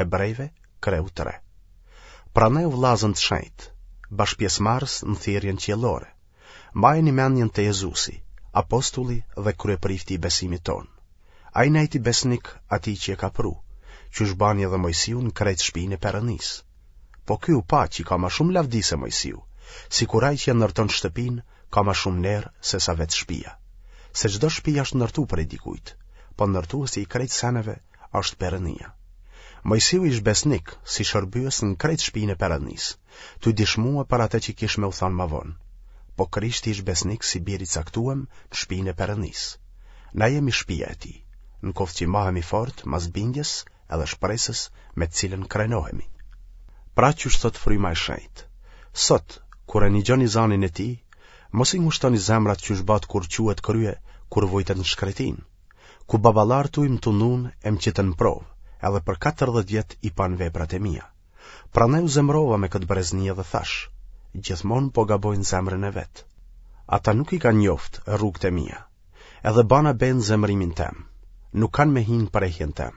Hebrejve, kreu 3. Prandaj o vllazën të shenjtë, bashkëpjesëmarrës në thirrjen qiellore, mbajeni mendjen te Jezusi, apostulli dhe kryeprifti i besimit tonë. Ai nejti besnik atij që e ka pru, qysh bani edhe Mojsiu në krejt shpinë e Perëndisë. Po ky u pa që ka ma shumë lavdi se Mojsiu, sikur ai që e ndërton shtëpinë ka ma shumë ner se sa vetë shpia. Se çdo shpi është ndërtu prej dikujt, po ndërtuesi i krejt seneve është Perëndia. Mojsiu ish besnik si shërbyes në krejt shpinë e Perëndisë, tuj dishmue për atë që kish me u thanë ma vonë. Po Krishti ish besnik si bir i caktuem në shpinë e Perëndisë. Na jemi shpia e tij, në koftë që mahemi fort mas bindjes edhe shpresës me të cilën krenohemi. Pra qysh thotë fryma e shenjtë, sot, kur e nigjoni zanin e tij, mos i ngushtoni zemrat qysh batë kur çuet krye, kur vujtët në shkretinë, ku baballarët tuj më tundun e më qitën në provë, edhe për 40 vjet i panë veprat e mia. Prandaj u zemrova me këtë brezni edhe thashë, gjithmonë po gabojnë n'zemrën e vet. Ata nuk i kanë njoftë rrugët e mia. Edhe bana be në zemërimin tem, nuk kanë me hi në prehjen tem.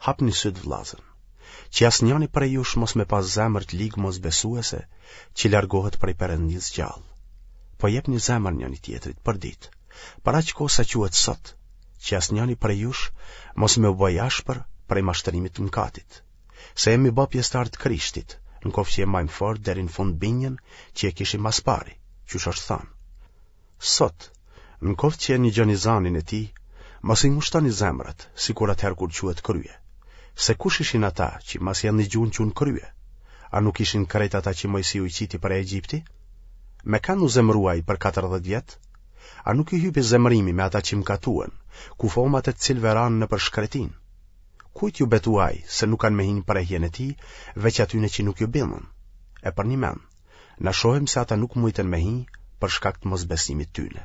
Hapni sytë vllazën, që asnjani prej jush mos me pas zemër të ligë mosbesuese që largohet prej Perëndisë gjallë. Po jepni zemër njëni tjetrit për ditë, për aq kohë sa quhet sot, që asnjani prej jush mos me u bë i ashpër prej mashtrimit të mëkatit. Se jemi bë pjesëtarë të Krishtit, në koftë që e majmë fort deri në fund bindjen që e kishim ma s'pari, qysh është thanë. Sot, në koftë që e nigjoni zanin e tij, mos i ngushtoni zemrat, sikur atëherë kur çuet krye. Se kush ishin ata që masi e nigjun çunë krye? A nuk ishin krejt ata që Mojsiu i qiti prej Egjipti? Me kanë u zemrua ai për 40 vjet? A nuk i hypi zemrimi me ata që mkatuen, kufomat e të cilëve ranë nëpër shkretinë? Kujt ju betua ai se nuk kanë me hi në prehjen e tij, veç atyne që nuk ju bindën? E përnjëmend, Na shohim se ata nuk mujtën me hi për shkak të mosbesimit tyne.